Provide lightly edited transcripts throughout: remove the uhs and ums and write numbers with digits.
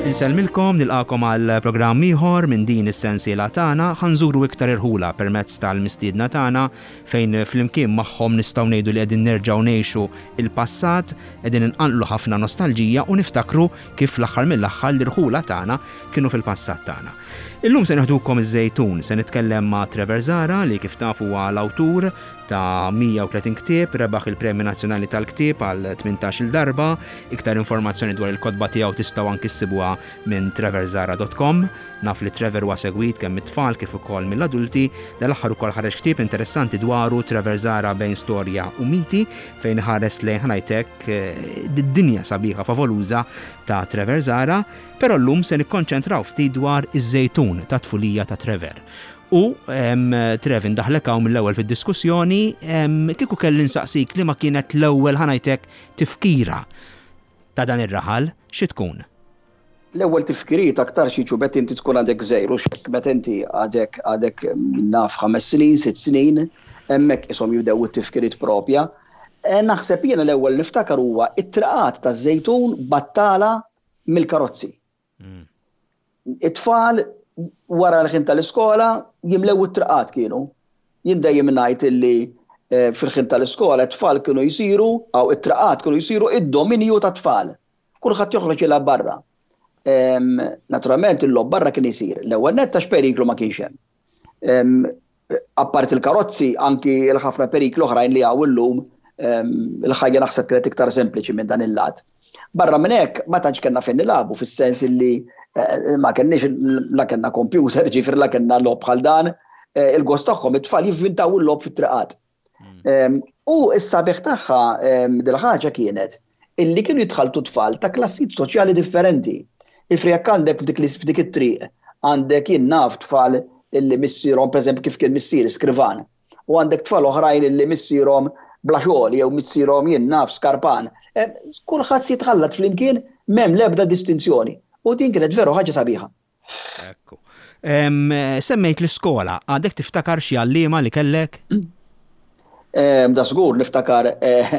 Insellmilkom nilqakom għal programm ieħor minn din is-sensiela tagħna ħanżuru iktar irħula permezz tal-mistiedna tagħna fejn flimkien magħhom nistgħu ngħidu li qegħdin nerġgħu ngħixu il-passat, qegħdin inqanqlu ħafna nostalġija u niftakru kif fl-aħħar mill-aħħar l-irħula tagħna kienu fil-passat tagħna. Illum se neħdukom iż-Żejtun, se nitkellem ma' Trevor Zahra li kif tafu huwa l-awtur ta' 130 ktieb, rebaħ il-Premju Nazzjonali tal-Ktieb għal 18-il darba. Iktar informazzjoni dwar il-kotba tiegħu tistgħu anki ssibuha minn trevorzahra.com. Naf li Trevor huwa segwit kemm mit-tfal kif ukoll mill-adulti. Dal-aħħar ukoll ħareġ ktieb interessanti dwaru Trevor Zahra bejn storja u miti fejn iħares lejn ħa ngħid hekk d-dinja sabiħa favoluża ta' Trevor Zahra. Però llum se nikkonċentraw ftit dwar iż-żejtun tat-tfulija ta' Trevor. U Trev indaħħlek hawn mill-ewwel fid-diskussjoni, kieku kelli nsaqsik liema kienet l-ewwel ħa ngħid hekk tifkira ta' dan ir-raħal, xi tkun? L-ewwel tifkiriet aktarx jiġu meta inti tkun għadek żgħir u x'hekk meta inti għadek għadek naf ħames snin, sitt snin, hemmhekk qishom jibdew it-tifkiriet propja. Naħseb jiena l-ewwel niftakar huwa t-triqat taż-Żejtun battala mill-karozzi. It-tfal wara l-ħin tal-iskola jimlew it-triqat kienu. Jien dejjem ngħid illi eh, fil-ħin tal-iskola t-tfal kienu jsiru, aw it-triqat kienu jsiru id-dominju tat-tfal. Kulħadd joħroġ jilgħab barra. Naturalment il-logħob barra kien isir. L-ewwel nett għax periklu ma kienx hemm. Apparti l-karozzi, anki l-ħafna perikli oħrajn li hawn illum, il-ħajja naħseb kienet iktar sempliċi minn dan il-lat. Barra minn hekk, ma tantx kellna fejn nilagħbu fis-sens illi eh, ma kenniex la kellna computer, ġifier la kellna logħob bħal dan, eh, il-gost tagħhom it-tfal jivvintaw il-logħob fit-triqat. Hmm. U s-sabiħ tagħha dil-ħaġa kienet illi kienu jitħalltu tfal ta' klassijiet soċjali differenti. Ifri jekk għandek f'dik it-triq għandek jien naf tfal illi missierhom pereżempju kif kien missieri skrivan u għandek tfal oħrajn illi missierhom bla xogħol jew missierhom jien naf skarpan. Eh, kulħadd se jitħallat flimkien m'hemm l-ebda distinzjoni. U din kienet veru ħaġa sabiħa. Ekku. Semmejt l-iskola, għadek tiftakar xi għalliema li kellek? Da żgur niftakar, eh,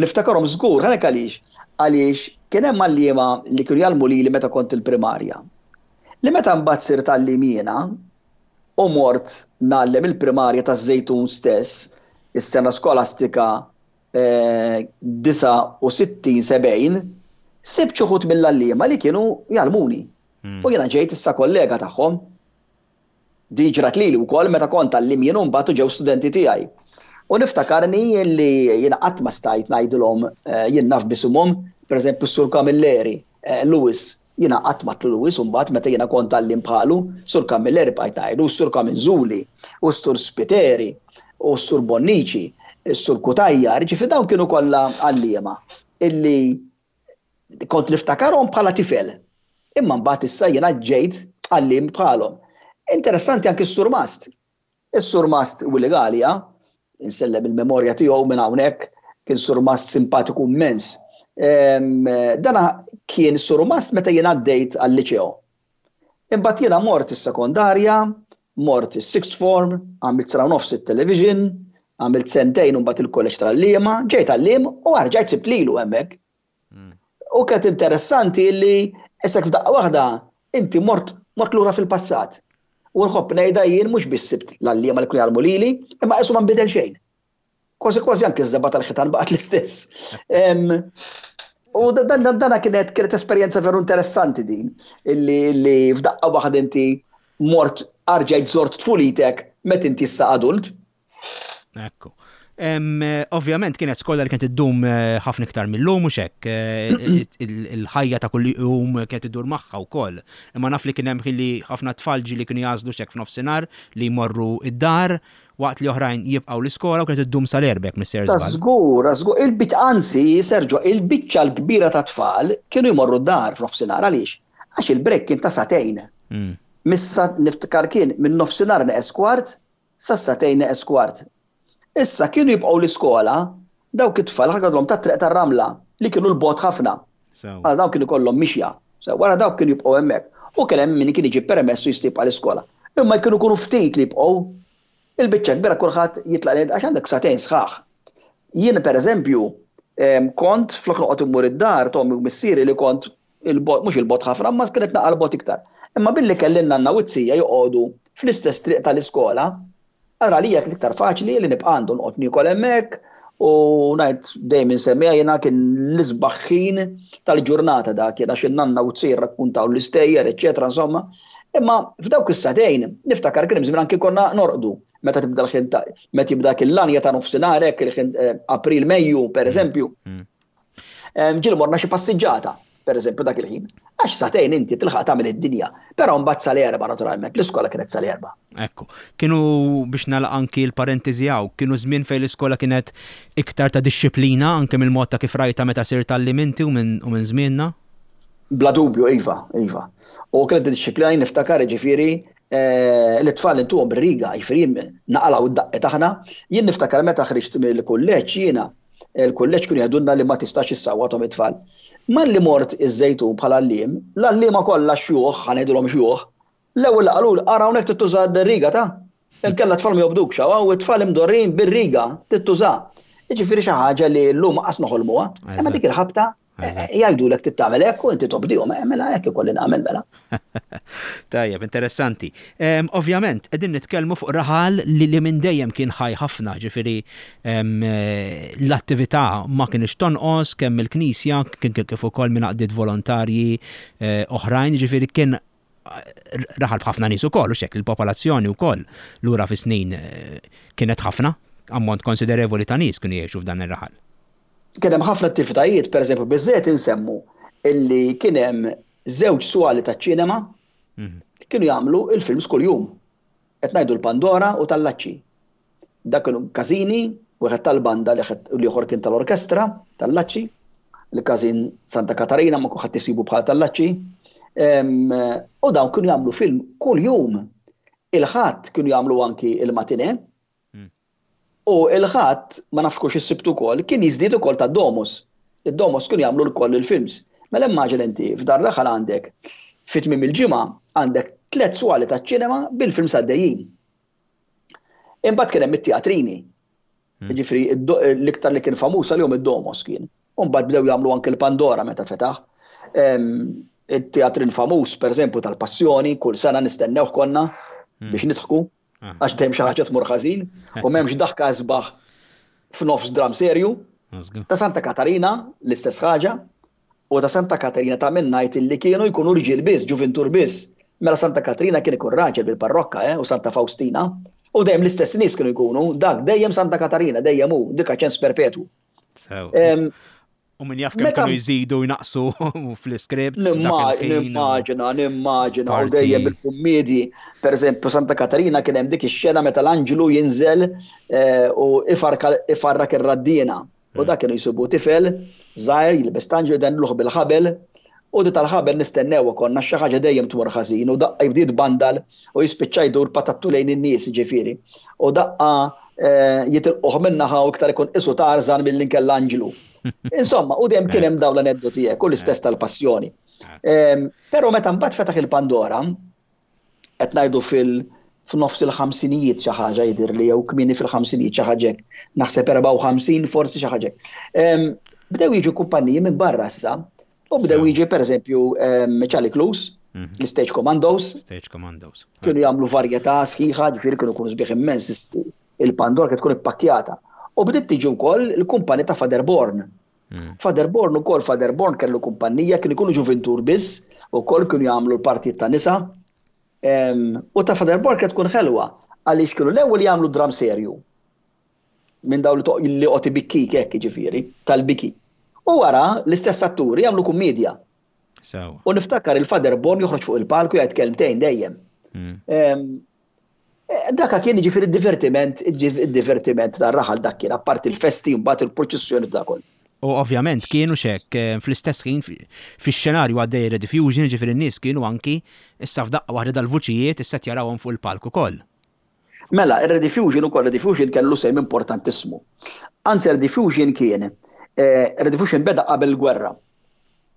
niftakarhom żgur, għalhekk għaliex. Għaliex kien hemm għalliema li kienu jgħallmu lili meta kont il-primarja. Li meta mbagħad sirt għalliem jiena u mort ngħallem il-primarja taż-Żejtun stess, is-sena skolastika 69 70, sibt xi wħud mill-għalliema li kienu jgħallmuni. Hmm. U jiena ġejt issa kollega tagħhom. Di ġrat lili wkoll meta kont għallim jien u mbagħad ġew studenti tiegħi. U niftakarni li jiena qatt ma stajt ngħidilhom eh, jien naf bisimhom, pereżempju s-Sur Camilleri, eh, Lewis, jiena qatt ma tlu Lewis u mbagħad meta jiena kont għallim bħalu, Sur Camilleri bqajt ngħidu, s-Sur Kaminżuli, u s-Sur Spiteri, u s-Sur Bonnici, s-Sur Kutajjar, ġifi dawn kienu kollha għalliema illi Kont niftakarhom bħala tifel. Imma mbagħad issa jiena ġejt għalliem bħalhom. Interessanti anki s-surmast. Is-surmast Willy Galea, insellem il-memorja tiegħu minn hawnhekk, kien surmast simpatiku immens. Dana kien surmast meta jien għaddejt għal-liċeo. Imbagħad jiena mort is-sekondarja, mort is-sixth form, għamilt sena u nofs it-television, għamilt sentejn u mbagħad il-kulleġġ tal-għalliema, ġejt għalliem u rġajt sibt lilu hemmhekk. U kienet interessanti li isek f'daqqa waħda inti mort mort lura fil-passat. U nħobb ngħidha jien mhux biss sibt l-għalliema li kienu jgħallmu lili, imma qisu ma nbidel xejn. Kważi kważi anke ż-żebgħa tal-ħitan baqgħet l-istess. U dana kienet kienet esperjenza veru interessanti din, illi illi f'daqqa waħda inti mort arġajt żort tfulitek meta inti issa adult. Ekku. Ovvjament kienet skola li kienet iddum eh, ħafna iktar mill-lum u xek. Eh, il-ħajja ta' kull jum kienet iddur magħha wkoll. Imma naf li kien hemm li ħafna tfal ġieli kienu jażlu xek f'nofsinhar li jmorru id-dar waqt li oħrajn jibqgħu l-iskola u kienet iddum sal-erbek Mr. Ta' żgur, żgur, il-biċ anzi, Sergio, il-biċċa l-kbira ta' tfal kienu jmorru d-dar f'nofsinhar għaliex? Għax il-break kien ta' sagħtejn. Mm. Missa niftakar kien minn nofsinhar neqes kwart sas-sagħtejn neqes kwart. Issa kienu jibqgħu l-iskola dawk it-tfal ħargadlhom tat-triq tar-Ramla li kienu 'l bogħod ħafna. Għal dawk kienu jkollhom mixja. Sew wara dawk kienu jibqgħu hemmhekk. U kien hemm min kien iġib permess u jista' jibqa' l-iskola. Imma kienu jkunu ftit li jibqgħu. Il-biċċa kbira kulħadd jitlaq lejn għax għandek sagħtejn sħaħ. Jien pereżempju kont flok noqgħod immur id-dar t'ommi u missieri li kont Il-bogħod, mhux il-bogħod ħafna, imma kienet naqra l-bogħod iktar. Imma billi kelli n-nanna u z-zija joqogħdu fl-istess triq tal-iskola, allura għalija kien iktar faċli li nibqa' għandu noqgħod niekol hemmhekk u ngħid dejjem insemmiha jiena kien l-isbaħ ħin tal-ġurnata dak kien għax in-nanna u z-zija rrakkuntaw l-istejjer, eċċetera, insomma. Imma f'dawk is-sagħtejn niftakar kien hemm żmien anki konna norqdu meta tibda l-ħin ta' meta jibda dak il-lanja ta' nofsinhar hekk il-ħin April Mejju pereżempju. Ġieli morna xi passiġġata, pereżempju dak il-ħin. Għax sagħtejn inti tilħaq tagħmel id-dinja. Però mbagħad sal-erba' naturalment, l-iskola kienet sal-erba'. Ekku. Kienu biex nagħlaq anki l-parentesi hawn, kienu żmien fejn l-iskola kienet iktar ta' dixxiplina anke mill-mod ta' kif rajtha meta sirt għalliem inti u minn żmienna? Bla dubju, iva, iva. U kienet dixxiplina jien niftakar jiġifieri eh, l-tfal intuhom bir-riga, jiġifieri naqalgħu d-daqqiet aħna. Jien niftakar meta ħriġt mill-kulleġġ jiena Il-kulleġġ kienu jgħidulna li ma tistax issawwathom it-tfal. Malli mort iż-Żejtun bħala għalliem, l-għalliema kollha xjuħ, ħa ngħidulhom xjuħ, l-ewwel li qaluli, ara hawnhekk trid tuża r-riga ta'. Inkella t-tfal ma jobdukx, hawn it-tfal imdorrijin bir-riga, trid tuża. Jiġifieri xi ħaġa li llum qas noħolmuha. Imma dik il-ħabta Jgħidulek trid tagħmel hekk u inti tobdihom, eh, mela hekk ikolli nagħmel mela. Tajjeb, interessanti. Ovvjament, qegħdin nitkellmu fuq raħal li li minn dejjem kien ħaj ħafna, ġifieri l-attività ma kienx tonqos kemm il-Knisja kif ukoll minn għaqdiet volontarji eh, oħrajn, ġifieri kien raħal b'ħafna nies ukoll, u xek il-popolazzjoni wkoll lura fi snin eh, kienet ħafna, ammont konsiderevoli ta' nies kienu jgħixu f'dan ir-raħal. Kien hemm ħafna attivitajiet, pereżempju biżżejjed insemmu illi kien hemm żewġ swali taċ-ċinema mhm. li kienu jagħmlu il-films kuljum. Qed ngħidu l-Pandora u tal-Laċċi. Dak kienu każini, wieħed tal-banda li l-ieħor kien tal-orkestra tal-Laċċi, il-każin Santa Katarina ma kulħadd isibu bħal tal-Laċċi. U dawn kienu jagħmlu film kuljum. Il-ħadd kienu jagħmlu anki il-matine, U il-Ħadd, ma nafx hux is-Sibt ukoll, kien jiżdied ukoll tad-Domus. Id-Domus kienu jagħmlu lkoll il-films. Mela immaġina inti, f'dar raħal għandek, fi tmiem il-ġimgħa, għandek tlett swali taċ-ċinema bil-films għaddejjin. Imbagħad kien hemm it-teatrini. Jiġifieri l-iktar li kien famuż għalihom id-Domus kien. U mbagħad bdew jagħmlu anke l-Pandora meta fetaħ. It-teatrin famuż, pereżempju, tal-Passjoni, kull sena nistennewh konna biex nidħku. Ah. Għax dejjem xi ħaġa tmur ħażin u m'hemmx daħka isbaħ f'nofs dram serju. Ta' Santa Katarina l-istess ħaġa u ta' Santa Katarina ta' minn ngħid illi kienu jkunu rġiel biss, ġuvintur biss. Mela Santa Katarina kien ikun raġel bil-parrokka eh, u Santa Faustina. U dejjem l-istess nies kienu jkunu, dak dejjem Santa Katarina, dejjem hu, dik ċens perpetwu. U min jaf kemm kienu jżidu jnaqsu fl-iscripts. Nimmaġina, nimmaġina, u dejjem bil-kummedji. Per eżempju, Santa Katarina kien hemm dik ix-xena meta l-anġlu jinżel eh, u ifarrak ir-raddina. U hmm. dak kienu jsibu tifel żgħir jilbes tanġlu jdenluh bil-ħabel u di tal-ħabel nistennew konna xi ħaġa dejjem tmur ħażin u daqqa jibdiet bandal u jispiċċa jdur patattu lejn in-nies ġifieri. U daqqa eh, jitilquh min-naħa u iktar ikun qisu Tarzan milli nkella anġlu. Insomma, u dejjem kien hemm dawn l-aneddoti hekk u l-istess tal-passjoni. Ehm, però meta mbagħad fetaħ il-Pandora, qed ngħidu fil- f'nofs il-ħamsinijiet xi ħaġa jidhirli jew kmieni fil-ħamsinijiet xi ħaġa hekk, naħseb 54 forsi xi ħaġa hekk. Ehm, bdew jiġu kumpaniji minn barra issa u bdew jiġi pereżempju ehm, Charlie Clues, mhm. l-Stage Commandos. Stage Commandos. Kienu jagħmlu varjetà sħiħa, ġifieri kienu jkunu sbieħ immens il-Pandora kienet tkun ippakkjata. U bdiet tiġi wkoll il-kumpani ta' Father Born. Mm. Father Born ukoll Father Born kellu kumpanija kienu jkunu ġuvintur biss, ukoll kienu jagħmlu l-partijiet ta' nisa. U ta' Father Born kienet tkun ħelwa għaliex kienu l-ewwel jagħmlu dram serju. Minn dawn li qod ibikkik hekk jiġifieri, tal-biki. U wara l-istess atturi jagħmlu kummedja. U niftakar il-Father Born joħroġ fuq il-palku jgħid kelmtejn dejjem. Mm. Eh, daka kien jiġifieri d-divertiment, id-divertiment tar-raħal dak kien, apparti l-festi mbagħad il-proċessjoni ta' koll. U ovvjament kienu xek eh, fl-istess ħin fix-xenarju għaddej rediffusion, ġifieri n-nies kienu anki issa f'daqqa waħda dal-vuċijiet issa jarawhom fuq il-palk ukoll. Mela, ir-rediffusion ukoll rediffusion kellu sehem importantissimu. Anzi, rediffusion kien, eh, rediffusion beda qabel il-gwerra.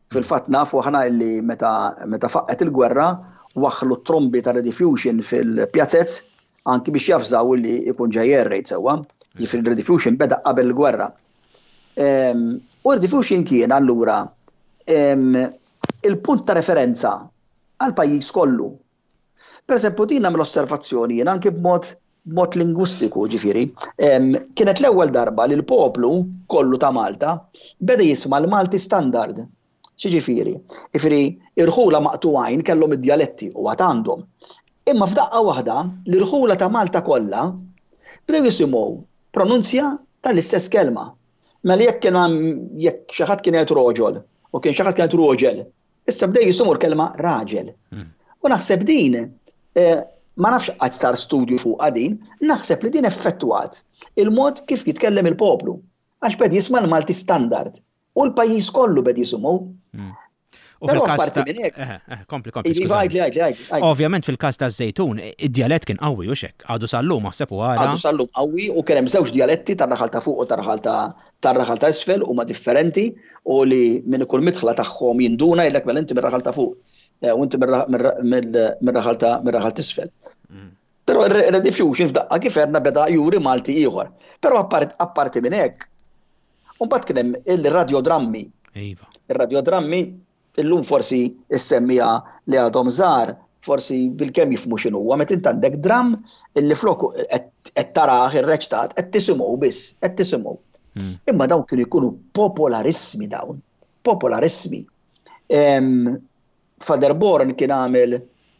Fil-fatt nafu aħna illi meta meta faqqgħet il-gwerra waħħlu t-trombi ta' rediffusion fil-pjazez anki biex javżaw illi jkun ġej air raid sewwa. Jiġifieri r-rediffusion beda qabel il-gwerra. U rediffusion kien allura. il-punt ta' referenza għall-pajjiż kollu. Pereżempju din nagħmel osservazzjoni jien anki b'mod b'mod lingwistiku ġifieri, kienet l-ewwel darba li l-poplu kollu ta' Malta beda jisma' l-Malti standard. X'jiġifieri? Jifieri irħula maqtugħin kellhom id-djaletti u għad għandhom. Imma f'daqqa waħda l-irħula ta' Malta kollha bdew jisimgħu pronunzja tal-istess kelma. Mela jekk kien hemm jekk xi ħadd kien jgħid roġol u kien xi ħadd kien jgħid roġel, issa bdew jisimgħu l-kelma raġel. U naħseb din eh, ma nafx qatt sar studju fuqha din, naħseb li din effettwat il-mod kif jitkellem il-poplu. Għax bed jisma' l-Malti standard. U l-pajjiż kollu bed jisimgħu. Hmm. U fil-każ ta' eh, eh, kompli, kompli. Iva, Ovvjament fil-każ ta' żejtun, id-djalett kien qawwi u xek. Għadu sallum aħseb u għara. Għadu sallum qawwi u kien hemm żewġ djaletti tar-raħal ta' fuq u tar-raħal ta' tar-raħal ta' isfel huma differenti u li minn kull midħla tagħhom jinduna jgħidlek mela inti mir-raħal ta' fuq eh, u inti mir-raħal ta' mir-raħal t'isfel. Hmm. Però ir-rediffusion f'daqqa kif għedna beda juri Malti ieħor. Però apparti minn hekk, U mbagħad kien hemm il-radjodrammi. Iva. Ir-radjodrammi illum forsi issemmija li għadhom żgħar, forsi bilkemm jifhmu x'inhu huwa meta int għandek dramm illi flok qed tarah irreċtat qed tisimgħu biss, qed tisimgħu. Hmm. Imma dawn kienu jkunu popolarissimi dawn, popolarissimi. Father Born kien għamel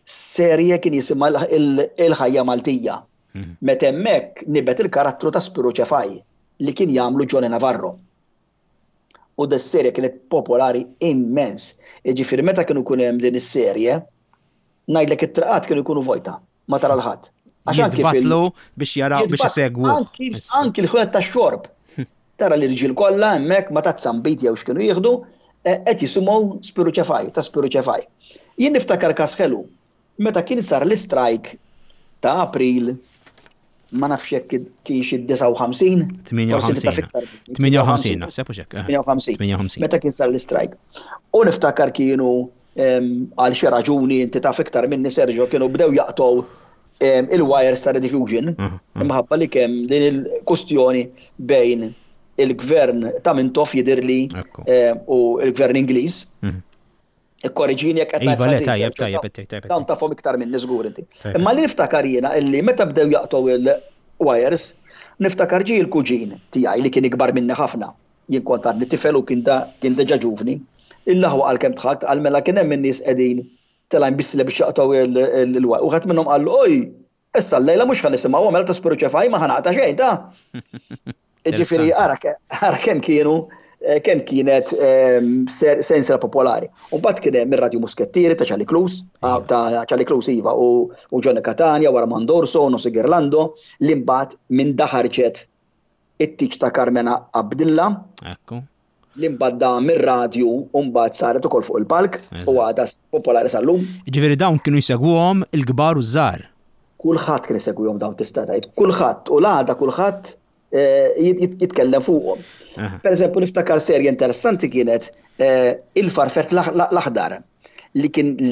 serje kien jisimha il-ħajja Maltija. Hmm. Meta hemmhekk nibet il-karattru ta' Spiru Ċefaj li kien jagħmlu Johnny Navarro. U des-serje kienet popolari immens. Jiġifieri meta kienu jkun hemm din is-serje, ngħidlek it-triqat kienu jkunu vojta, ma tara l-ħadd. Għax anki fil biex jaraw biex isegwu. Anki l-ħwienet tax-xorb. Tara l-irġiel kollha hemmhekk ma ta' zambit jew x'kienu jieħdu, eh, qed jisimgħu Spiru Ċefaj, ta' Spiru Ċefaj. Jien niftakar każ ħelu Meta kien sar l-istrajk ta' April, ma nafx jekk kienx id-59, 58, 58 naħseb u xek. 58. Meta kien sar l-istrajk. U niftakar kienu għal xi raġuni inti taf iktar minni Sergio kienu bdew jaqtgħu il-wires ta' rediffusion imħabba li kemm din il-kustjoni bejn il-gvern ta' Mintoff jidhirli u l-gvern Ingliż. Mhm. Ikkoreġini jekk qed ngħid. Iva, le, tajjeb, tajjeb, tajjeb. Dawn tafhom iktar minni żgur inti. Imma li niftakar jiena illi meta bdew jaqtgħu il-wires, niftakar ġie l-kuġin tiegħi li kien ikbar minni ħafna. Jien kont għadni tifel u kien da kien diġà ġuvni. Il-aħwa qal kemm dħakt, qal mela kien hemm in-nies qegħdin telgħin bis-silla biex jaqtgħu il-wire. Wieħed minnhom qallu, oj, Issa llejla mhux ħa nisimgħuhom mela ta' Spiru Ċefaj ma ħa naqta' xejn ta'. Ġifieri ara kemm kienu eh, kemm kienet ehm, sensiela popolari. U mbagħad kien hemm ir-Radju Muskettieri ta' Charlie Cruz, ah, ta' Charlie Cruz iva u Johnny Catania wara Mandorso, Nosi Girlando, li mbagħad minn daħarġet it-tiġ ta' Carmena Abdilla. Ekku. Li mbagħad da mir-radju u mbagħad saret ukoll fuq il-palk u għadha popolari sal-lum. Jiġifieri dawn kienu jsegwuhom il-kbar u ż-żgħar. Kulħadd kien isegwihom dawn tista' tgħid. Kulħadd u l-għada kulħadd eh, jitkellem fuqhom. Per eżempju niftakar serje interessanti kienet eh, Il-Farfett l-Aħdar li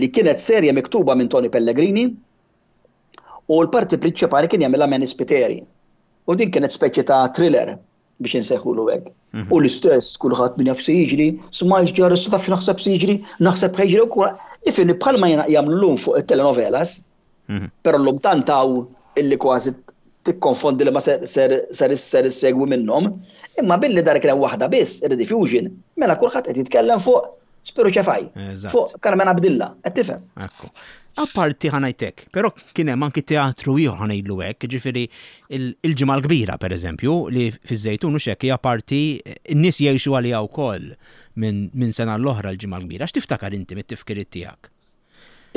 kienet serje miktuba minn Tony Pellegrini U l-parti prinċipali kien jagħmilha Manny Spiteri. U din kienet speċi ta' thriller biex insejħulu hekk. Mhm. U l-istess kulħadd min jaf se jiġri, smajt ġar issa taf naħseb se jiġri, naħseb ħa jiġri wkoll. Ifini bħalma jagħmlu llum fuq it-telenovelas, mhm. però llum tant hawn illi kważi tikkonfondi li ma ser ser ser issegwi minnhom, imma billi dar kien hemm waħda biss, ir-rediffusion, mela kulħadd qed jitkellem fuq Spiru Ċefaj, fuq Carmen Abdilla, qed tifhem. Ekku. Apparti ħa ngħid hekk, però kien hemm anki teatru ieħor ħa ngħidlu hekk, jiġifieri il-Ġimgħa l-Kbira pereżempju, li fiż-Żejtun hux hekk hija parti n-nies jgħixu għaliha wkoll minn sena għall-oħra l-Ġimgħa l-Kbira. X'tiftakar inti mit-tifkiriet tiegħek?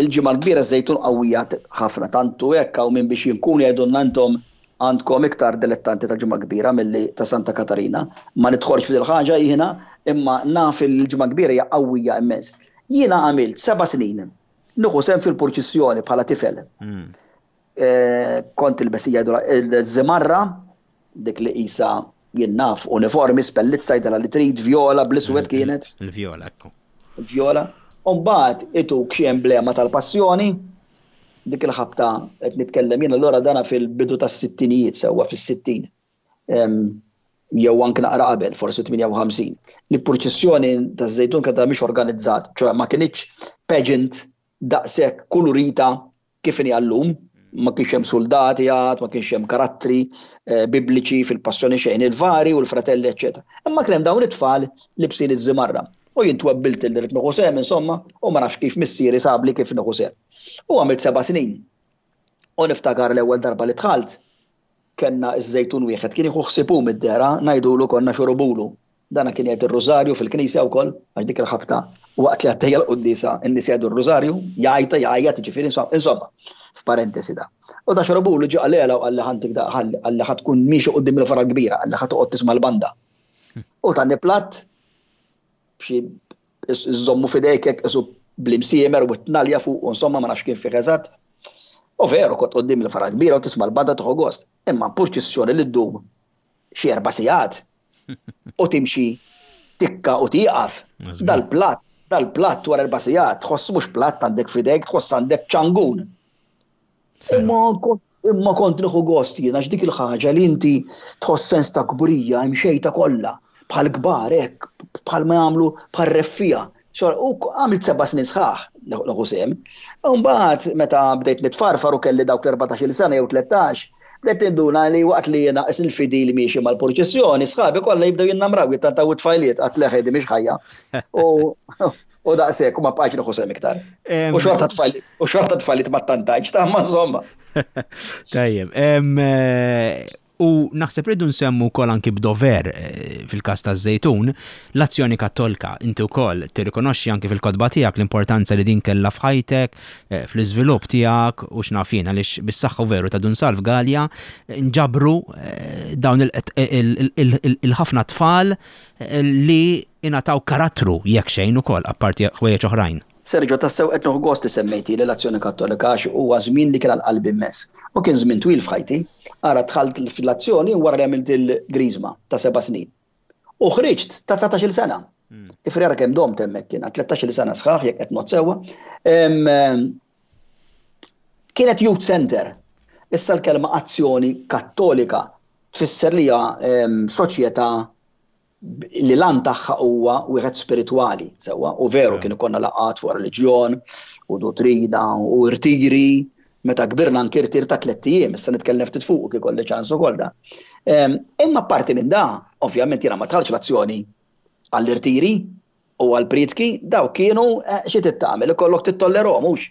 Il-Ġimgħa l-Kbira ż-Żejtun qawwija ħafna tant hu hekk hawn min biex jinkun jgħidulna intom għandkom iktar dilettanti tal-Ġimgħa l-Kbira milli ta' Santa Katarina. Ma nidħolx f'dil ħaġa jiena imma naf li l-Ġimgħa l-Kbira hija qawwija immens. Jiena għamilt seba' snin nieħu sehem fil-purċissjoni bħala tifel. Hmm. Eh, kont ilbes jgħidu il-żimarra, dik li qisha jien naf uniformi, spellizza jgħidilha li trid, vjola, bl-iswed kienet. Il-vjola, ekku. Il-vjola. Umbagħad ituk xi emblema tal-passjoni, dik il-ħabta qed nitkellem jien allura dana fil-bidu tas-sittinijiet sewwa fis-sittin. jew anke naqra qabel, forsi 58, li purċissjoni taż-Żejtun kienet mhix organizzat, ċoè ma kinitx pageant daqshekk kulurita kif inhi għallum, ma kienx hemm suldati għad, ma kienx hemm karattri eh, bibliċi fil-passjoni xejn, il-vari u l-fratelli, eċetera. Imma kien hemm dawn it-tfal libsin iż-żimarra. U jien twebbilt li rrid nieħu sehem insomma, u ma nafx kif missieri sabli kif nieħu sehem. U għamilt seba' snin. U niftakar l-ewwel darba li dħalt, kellna ż-żejtun wieħed kien jieħu ħsieb hu mid-dehra, ngħidulu konna xurubulu. Dana kien jgħid ir-rużarju fil-knisja wkoll, għax dik il-ħabta waqt li għaddejja l-quddiesa n-nies jgħidu r-rużarju, jgħajta, jgħajjat, jiġifieri insomma, f'parentesi da. U da xorobulu ġie qalilha u qalli ħantik da qalli ħa tkun miexi quddiem il-vara l-kbira, qalli ħa toqgħod tisma' l-banda. U tani platt b'xi Iżżommu f'idejk hekk qisu bl-imsiemer u t-tnalja fuq u insomma ma nafx kien fih eżatt. U veru kont quddiem il-fara kbira u tisma' l-banda tieħu gost. Imma purċissjoni li ddum xi erba' sigħat u timxi tikka u tieqaf. Dal-platt, dal-platt wara erba' sigħat tħoss mhux platt għandek f'idejk, tħoss għandek ċangun. Imma imma kont nieħu gost jien għax dik il-ħaġa li inti tħoss sens ta' kburija imxejta kollha bħal kbar hekk, bħal ma jagħmlu bħal reffija. U għamilt seba' snin sħaħ nieħu sehem. U mbagħad meta bdejt nitfarfar u kelli dawk l-14-il sena jew 13, bdejt ninduna li waqt li jiena qis il-fidil miexi mal-purċissjoni, sħabi kollha jibdew jinnamraw jittantaw it-tfajliet għadt le ħedi mhix ħajja. U U daqshekk u ma bqajtx nieħu sehem iktar. U xorta tfajliet, u xorta tfajliet ma ttantajtx ta' ma insomma. Tajjeb, eh, u naħseb rridu nsemmu wkoll anki b'dover eh, fil-każ taż-Żejtun, l-azzjoni kattolika. Inti wkoll tirrikonoxxi anki fil-kotba tiegħek l-importanza li din kellha f'ħajtek, eh, fl-iżvilupp tiegħek u x'naf jien għaliex bis-saħħa veru ta' Dun Salv Galea nġabru dawn il-ħafna tfal li ingħataw karattru jekk xejn ukoll apparti ħwejjeġ oħrajn. Sergio, tassew qed nieħu gost li semmejtili l-Azzjoni Kattolika għax huwa żmien li kien għal qalbi immens. U kien żmien twil f'ħajti. Ara dħalt fl-Azzjoni wara li għamilt il-Griżma ta' seba' snin. U ħriġt ta' 19-il sena. Ifri ara kemm domt hemmhekk jiena, 13-il sena sħaħ jekk qed ngħodd sewwa. Kienet youth center. Issa l-kelma Azzjoni Kattolika tfisser li hija soċjetà li l-għan tagħha huwa wieħed spiritwali, sewwa, u veru kien ikollna laqgħat fuq reliġjon u dottrina u irtiri, meta kbirna anki irtir ta' tlett ijiem, issa nitkellem ftit fuq kif ikolli ċans ukoll da. Ehm, imma parti minn da, ovvjament jiena ma tħallx l-azzjoni għall-irtiri u għall-prietki, daw kienu eh, xi tittamel, ikollok titollerhom hux.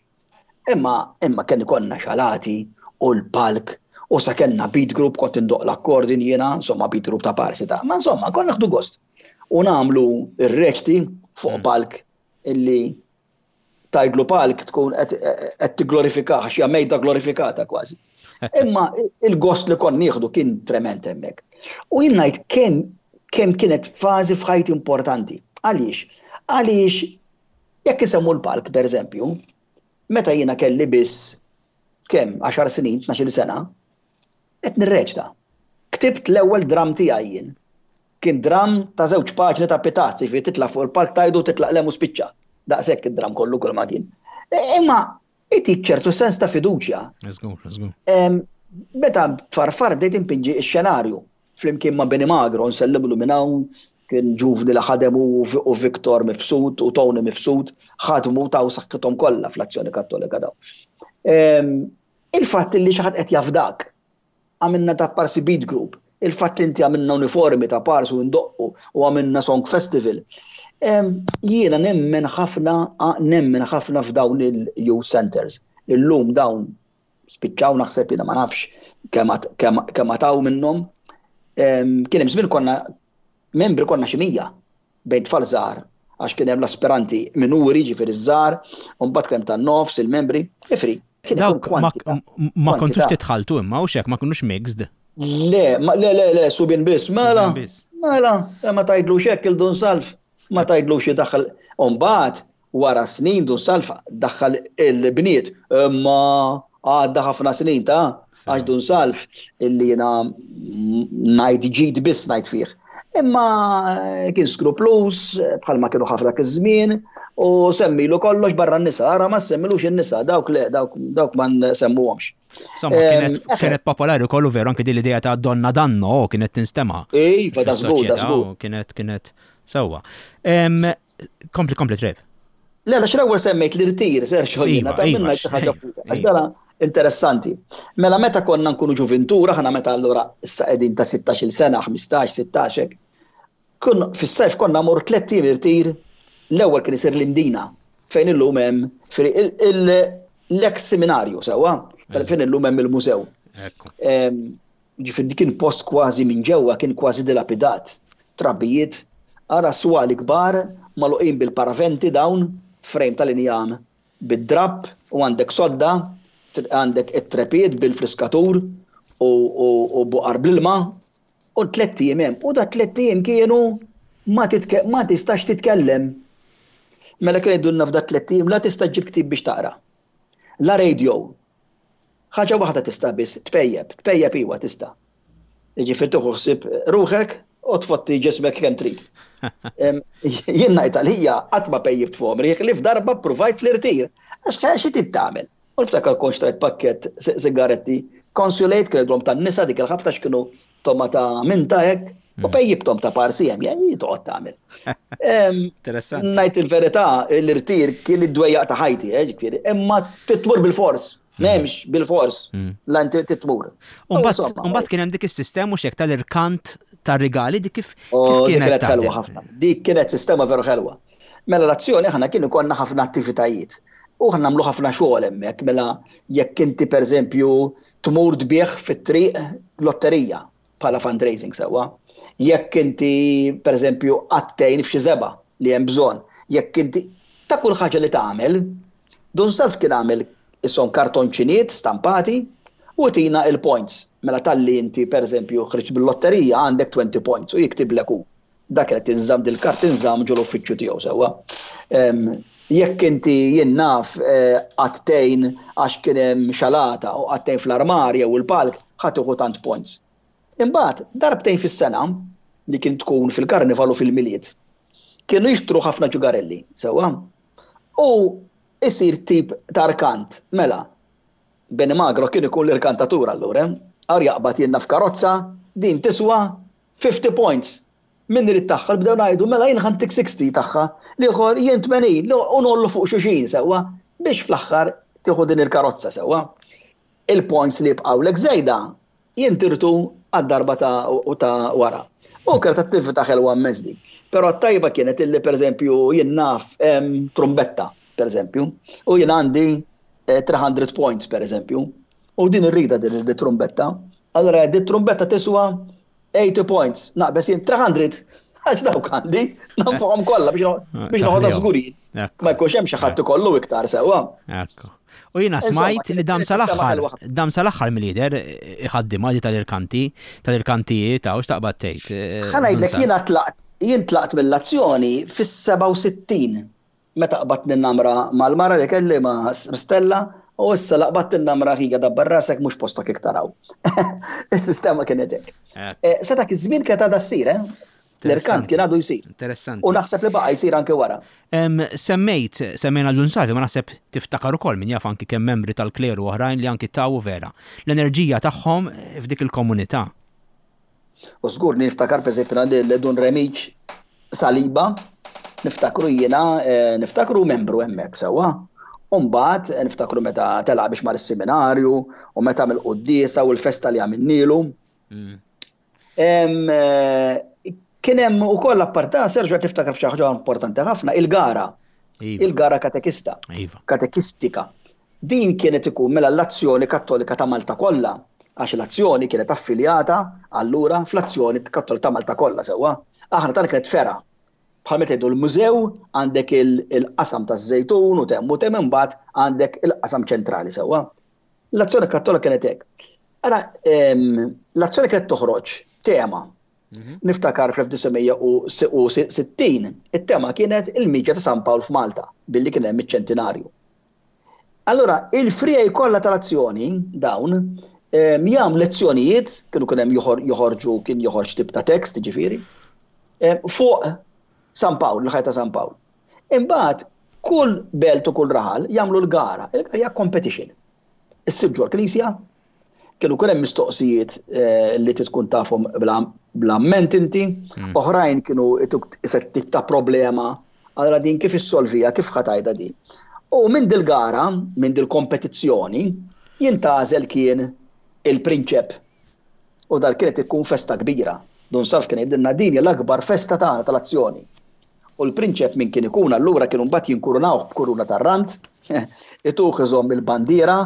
Imma imma kien ikollna xalati u l-palk u sa kellna beat group kont indoqq l-accordion jiena, insomma beat group ta' parsi ta' ma insomma konna nieħdu gost. U nagħmlu r-reċti fuq mm. palk illi tgħidlu palk tkun qed tigglorifikah għax hija mejda glorifikata kważi. Imma il-gost li kon nieħdu kien trement hemmhekk. U jien ngħid kemm kemm kienet fażi f'ħajti importanti. Għaliex? Għaliex Jekk isemmu l-palk, pereżempju, meta jiena kelli biss kemm, għaxar snin, tnax-il sena, qed nirreċta. Ktibt l-ewwel dramm tiegħi jien. Kien dramm ta' żewġ paġni ta' pitazz, jiġifieri titla' fuq il-palk tgħidu titlaq 'l hemm u spiċċa. Daqshekk id-dramm kollu kull ma kien. Imma itik ċertu sens ta' fiduċja. Żgur, żgur. Meta tfarfar bdejt inpinġi x-xenarju flimkien ma' Benny Magro, nsellimlu minn hawn, kien ġuvni li ħadem hu u Victor Mifsud u Tony Mifsud, ħadmu taw saħħithom kollha fl-Azzjoni Kattolika dawn. Il-fatt li xi ħadd qed jafdak, għamilna ta' parsi beat group, il-fatt li inti għamilna uniformi ta' parsi u ndoqqu u għamilna song festival. Jiena nemmen ħafna nemmen ħafna f'dawn il-youth centers. Illum dawn spiċċaw naħseb jiena ma nafx kemm għataw minnhom. Kien hemm żmien konna membri konna xi 100 bejn tfal żgħar għax kien hemm l-aspiranti minuri, ġifieri ż-żgħar, u mbagħad kien hemm tan-nofs, il-membri, ifri. Dawk ma kontux titħaltu imma u xek ma kinux mixed. Le, le, le, le, subien biss, mela. Mela, ma tgħidlux hekk il-Dun Salv, ma tgħidlux idaħħal. U mbagħad Wara snin Dun Salv daħħal il-bniet, imma għadda ħafna snin ta' għax Dun Salv illi jiena ngħid ġid biss ngħid fih. Imma eh, kien skrupluż bħalma kienu ħafna dak iż-żmien u semmilu kollox barra n-nisa, ara ma semmilux in-nisa, dawk le, dawk, dawk ma nsemmuhomx. Insomma, kienet popolari kollu veru anke din l-idea ta' donna danno kienet tinstema'. Iva, da żgur, da żgur. Kienet kienet sewwa. Kompli, kompli Trev. Le, għax l-ewwel semmejt l-irtir, Sergio, jiena ta' minna xi ħaġa fuq. Interessanti. Mela meta konna nkunu ġuvintura, ħana meta allura issa qegħdin ta' 16-il sena, 15, 16 hekk. Kun fis-sajf konna mmorru tlett ijiem irtir, l-ewwel kien isir l-Imdina, fejn illum hemm l-eks seminarju sewwa, fejn illum hemm il-mużew. Ġifieri kien post kważi minn ġewwa kien kważi dilapidat. Trabijiet, ara swali kbar magħluqin bil-paraventi dawn, frame tal-injam bid-drapp u għandek sodda, għandek it-trepied bil-friskatur u buqar bl-ilma u tlett ijiem hemm. U da tlett ijiem kienu ma ma tistax titkellem. Mela kienu jgħidulna f'da tlett ijiem la tista' ġġib ktieb biex taqra. La radio. Ħaġa waħda tista' biss, tpejjep, tpejjep iwa tista'. Jiġifieri tieħu ħsieb ruħek u tfotti ġismek kemm trid. Jien ngħid għalija qatt ma pejjibt f'għomri ħlief darba ppruvajt fl-irtir. Għax xi trid tagħmel? U niftakar kont xtrajt pakkett sigaretti Consulate kienu jgħidulhom tan-nisa dik il-ħabta x'kienu toma ta' minta hekk u hmm. pejjibthom ta' parsi hemm jgħid toqgħod tagħmel. Interessanti. Ngħid il-verità l-irtir kien id-dwejjaq ta' ħajti, eh, ġifieri, imma titmur bil-fors. Hmm. M'hemmx bil-fors hmm. la inti titmur. Umbagħad kien hemm dik is-sistema mhux hekk tal-irkant tar-rigali dik kif oh, kienet ħelwa ħafna. Dik kienet sistema veru ħelwa. Mela l-azzjoni aħna kien ikollna ħafna attivitajiet. U aħna nagħmlu ħafna xogħol hemmhekk, mela jekk inti pereżempju tmur tbigħ fit-triq lotterija bħala fundraising sewwa. Jekk inti pereżempju qatt tgħin f'xi żebgħa li hemm bżonn, jekk inti ta' kull ħaġa li tagħmel, Dun Salv kien għamel ishom kartonċiniet stampati u jtina il-points. Mela talli inti pereżempju ħriġt bil-lotterija għandek 20 points u jiktiblek hu. Dak kienet tinżamm dil-kart tinżamm ġol uffiċċju tiegħu sewwa. Jekk inti jien naf eh, qatt tgħin għax kien hemm xalata u qatt tgħin fl-armar jew il-palk ħa tieħu tant points. Imbagħad darbtejn fis-sena li kien tkun fil-karnival u fil-Milied, kienu jixtru ħafna ġugarelli, sewwa. U isir tip ta' rkant, mela. Benny Magro kien ikun l-irkantatur allura, eh? Għar jaqbad jinnna f'karozza, din tiswa 50 points. Min irid tagħha bdew ngħidu mela jien ħa ntik 60 tagħha, l-ieħor jien 80 u ngħollu fuq xulxin sewwa biex fl-aħħar tieħu din il-karozza sewwa. Il-points li jibqgħulek żejda jintirtu għad-darba ta' ta' wara. U kienet attività ħelwa immens dik. Però t-tajba kienet illi pereżempju jien naf trumbetta, pereżempju, u jien għandi 300 points pereżempju, u din irridha din it-trumbetta. Allura di trumbetta tiswa 80 points, naqbeż jien 300, għax dawk għandi, nonfoqhom kollha biex ah, biex noħodha żgurin. Ma jkunx hemm xi ħadd ikollu iktar sewwa. Ekku. U jiena smajt li dam sal-aħħar, dam sal-aħħar mill-lider iħaddimha di tal-irkanti, tal-irkantijiet ta' x'taqbad tgħid. Eh, Ħa ngħidlek jiena tlaqt, jien tlaqt mill-azzjoni fis-67. Meta qbadt ninnamra mal-mara li kelli ma' Stella u issa la qbadt tinnamra ħija dabbar rasek mhux postok iktar hawn. Is-sistema kienet hekk. Eh, sa dak iż-żmien kienet għadha ssir, eh? L-irkant kien għadu jsir. Interessanti. U naħseb li baqa' jsir anke wara. Semmejt, semmejna l-Lunsarvi, ma naħseb tiftakar ukoll min jaf anki kemm membri tal-kleru oħrajn li anki taw vera l-enerġija tagħhom f'dik il-komunità. U żgur li niftakar pereżempju lil Dun Remiġ Saliba, niftakru jiena, eh, niftakru membru hemmhekk sewwa. U mbagħad eh, niftakru meta tela' biex mar is-seminarju u meta mill-quddiesa u l-festa li għamilnilu. Mm. Eh, kien hemm ukoll apparta Serġu qed niftakar f'xi ħaġa importanti ħafna, il-gara. Iva. Il-gara katekista. Iva. Katekistika. Din kienet ikun mela l-Azzjoni Kattolika ta' Malta kollha, għax l-Azzjoni kienet affiljata allura fl-Azzjoni Kattolika ta' Malta kollha sewwa. Aħna tagħna kienet fergħa. Bħal meta jgħidu l-mużew għandek il-qasam taż-Żejtun u temm u temm imbagħad għandek il-qasam ċentrali sewwa. L-Azzjoni Kattolika kienet hekk. Ara, l-Azzjoni kienet toħroġ tema. Mhm. Niftakar fl-1960 it-tema kienet il-miġja ta' San Pawl f'Malta billi kien hemm iċ-ċentinarju. Allura, il-friegħi kollha tal-azzjoni dawn jagħmlu lezzjonijiet, kienu kien hemm joħorġu kien joħorġ tip ta' tekst, ġifieri, fuq San Pawl, il-ħajja ta' San Pawl. Imbagħad kull belt u kull raħal jagħmlu l-gara, il-gara hija competition. Issir ġol-knisja, kienu kien hemm mistoqsijiet eh, li tkun tafhom bl-amment inti, hmm. oħrajn kienu iset tip ta' problema, allora din kif issolvija, kif ħatajda din. U minn dil-gara, minn dil-kompetizzjoni, jintażel kien il-prinċep. U dal kienet ikun festa kbira. Dun Salv kien jgħidilna din l-akbar festa tagħna tal-azzjoni. U l-prinċep min kien ikun allura kienu mbagħad jinkurunawh b'kuruna tar-rand, ituh iżomm il-bandiera,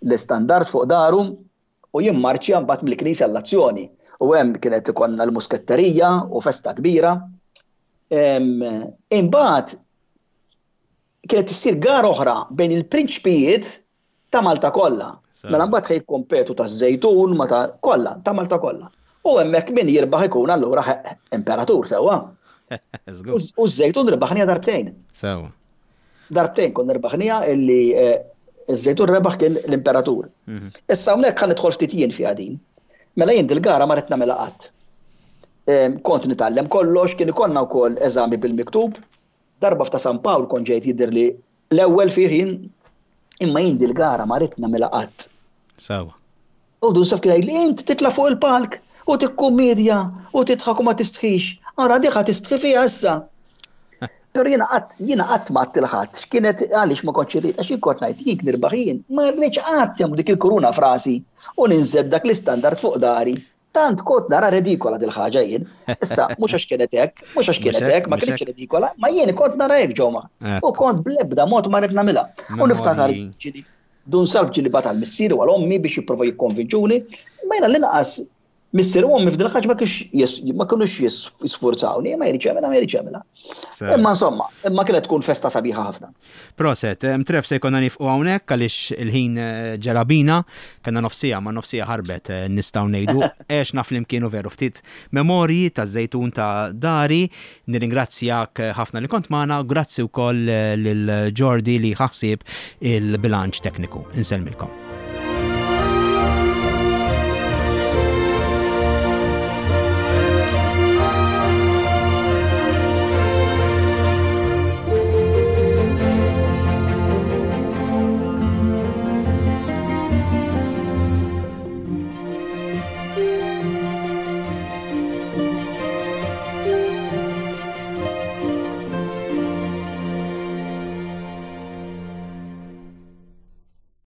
l-istandard fuq daru u jimmarċja mbagħad mill-knisja l-azzjoni. U hemm kienet ikollna l-musketterija u festa kbira. Imbagħad kienet issir gara oħra bejn il-prinċpijiet ta' Malta kollha. Mela mbagħad ħej jikkompetu taż-Żejtun ma ta' kollha, ta' Malta kollha. U hemmhekk min jirbaħ ikun allura imperatur sewwa. U ż-Żejtun rebaħnija darbtejn. Sewwa. Darbtejn konna rebaħnija illi eh, iż-Żejtun rebaħ kien l-imperatur. Mhm. Issa hawnhekk ħa nidħol ftit jien fiha din. Mela jien dil-gara ma rid nagħmilha qatt. Kont nitgħallem kollox, kien ikollna wkoll eżami bil-miktub, Darba f'ta' San Pawl kont ġejt jidhirli l-ewwel fih jien, imma jien dil-gara ma ridt nagħmilha qatt. Sewwa. U Dun Saf kien jgħidli int titla' fuq il-palk u tikkummedja u tidħak u ma tistħix. Ara dik ħa tistħi fiha issa. Però jiena qatt jiena qatt ma għedt lil ħadd x'kienet għaliex ma kontx irrid għax jien kont ngħid jien nirbaħ jien ma rridx qatt jagħmlu dik il-kuruna f'rasi u ninżel b'dak l-istandard fuq dari. Tant kont nara redikola dil-ħaġa jien. Issa, mhux għax kienet hekk, mhux għax kienet hekk, ma kienx redikola, ma jien kont nara hekk ġewma. U kont bl-ebda mod ma rid nagħmilha. U niftakar ġili Dun Salv ġili bat għal missieri u għal ommi biex jipprova jikkonvinċuni, ma jiena l-inqas missieri u ommi f'dil ħaġa ma kienx ma kinux jisfurzawni, ma jridx jagħmilha, ma jridx jagħmilha. Imma insomma, imma kienet tkun festa sabiħa ħafna. Proset, Trev se jkollna nifqu hawnhekk għaliex il-ħin eh, ġera bina, kellna nofsija ma nofsija ħarbet eh, nistgħu ngħidu. Għexna flimkien u veru ftit memorji taż-żejtun ta' dari. Nirringrazzjak eh, ħafna li kont magħna, grazzi wkoll lil Jordi li ħaħsieb il-bilanċ tekniku. Insellmilkom.